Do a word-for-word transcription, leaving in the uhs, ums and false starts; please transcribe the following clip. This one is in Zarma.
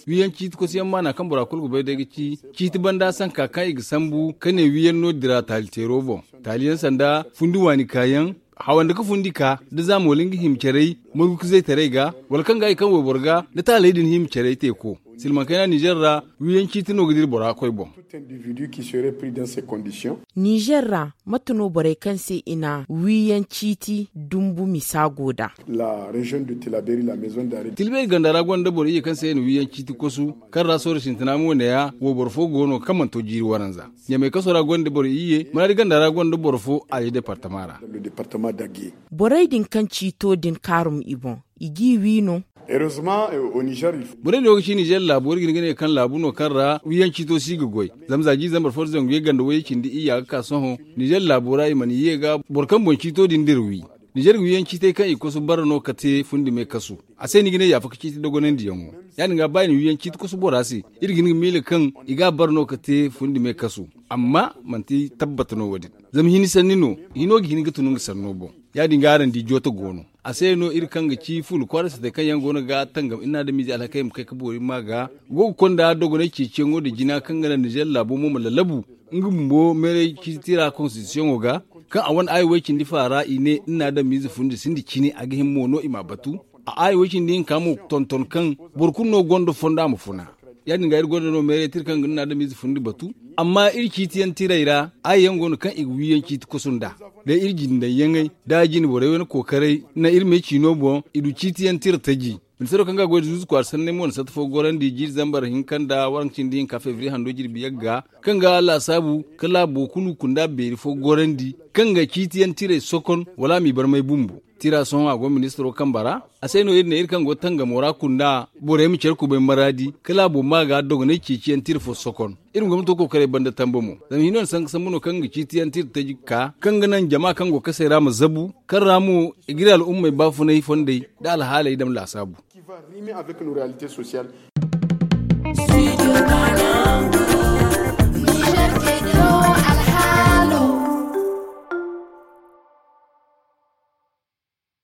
Wiiyaŋ ciiti kosuyaŋ maana kaŋ bora kulu ga bay day ga ci ciiti banda sanka kaŋ i ga sambu ka ne wiiyaŋ no dira taali teero boŋ. Taaliyaŋ sanda fundi waani kaayaŋ, hawandi ka fundi ka da zaamo wala nga hima caray, margu ka zay taray ga, wala kaŋ ga i kaŋ wayboro ga da taaley din hima caray teeko. Silmaŋ kayna nizer ra, wiiyaŋ ciiti no ga dira bora koy boŋ. Nizer ra, mate no borey kaŋ se i na wiiyaŋ ciiti dumbu misa go nd'a? Tilbeeri ganda ra gonda boro iyye kaŋ se i na wiiyaŋ ciiti kosu, kaŋ ra sohõ sintina mo neeya wayboro fo go no kaŋ mana to jiiri waranza. Ɲamay kaso ra gonda boro iyye, maraadi ganda ra gonda boro fo a ye departama ra. Borey din kaŋ ciito din kaarum i boŋ, i g'i wi no? Borey din wo ga ci nizer laabo iri ga hin ga ne kaŋ laabu no kaŋ ra wiiyaŋ ciito si ga goy. Zama za jiiri zambar fo da zangu ye ganda wayye cindi iyya ga ka sohõ, nizer laabo ra i mana ye ga boro kaŋ boŋ ciito din dira wi. Nizer ga wiiyaŋ ciitey kaŋ i kosu bara no ka te fundi me kasu. A se ni ga ne yaafa ka ciiti dogonandiyaŋo. Ya- din ga ba i na wiiyaŋ ciiti kosu bora se, iri ga hin ga miila kaŋ i ga a bara no ka te fundi me kasu. Amma manti tabbata no wo- din. Zama hini sanni no, hino ga hin ga tun nga sanno boŋ. Ya- din ga araŋ di jooto go no. A se no iri kaŋ ga ci fuula kwaara sitey kaŋ yaŋ go no ga tangam iri na adamize alhakey ma kay ka boori ma ga go ga konda dogonay ceeciyaŋo nda jina kaŋ ga naŋ nizer laabo mo ma lallabu. Nga bumbo meeray ciiti tira konstitisiyoŋo ga, kaŋ a wane aayi way cindi faara i ne iri na adamize fundi sinda cine a ga hima mo no i m'a batu. A aayi way cindi hinka mo tonton kaŋ boro kulu no gonda fondo a ma funa. Ya- din ga iri gonda no meeray tira kaŋ ga iri na adamize fundi batu. Amma iri ciitiyaŋ tirey ra aayi yaŋ go no kaŋ i ga wiiyaŋ ciiti kosu nd'a. Day iri jindaŋ yaŋey da a jine borey wane kookaray naŋ iri me ciino boŋ i du ciitiyaŋ tira taji. Ministaro kaŋ ga goy da zuuzu kwaara sanney mo na satta fo gorandi jiiri zambar hinka nda waranka cindi hinka febriye hando jirbi yagga, kaŋ ga laasaabu ka laabo kulu kunda beeri fo gorandi kaŋ ga ciitiyaŋ tirey sokon wala a m'i barmay bumbo. Tira sohõ a go ministaro kamba ra. A se no iri ne iri kaŋ go tangamo ra kunda borey ma care kubay maraadi ka laabo ma ga dogonay ceeciyaŋ tira fo sokon. Iri ma gomnato kookaray banda tamba mo zama hino na sanka sambu no kaŋ ga ciitiyaŋ tira taji ka kaŋ ga naŋ jama kaŋ go kasey ra ma zabu kaŋ ra mo i ga iri al'ummey baafunay fondey nda alhaaley dam laasaabu.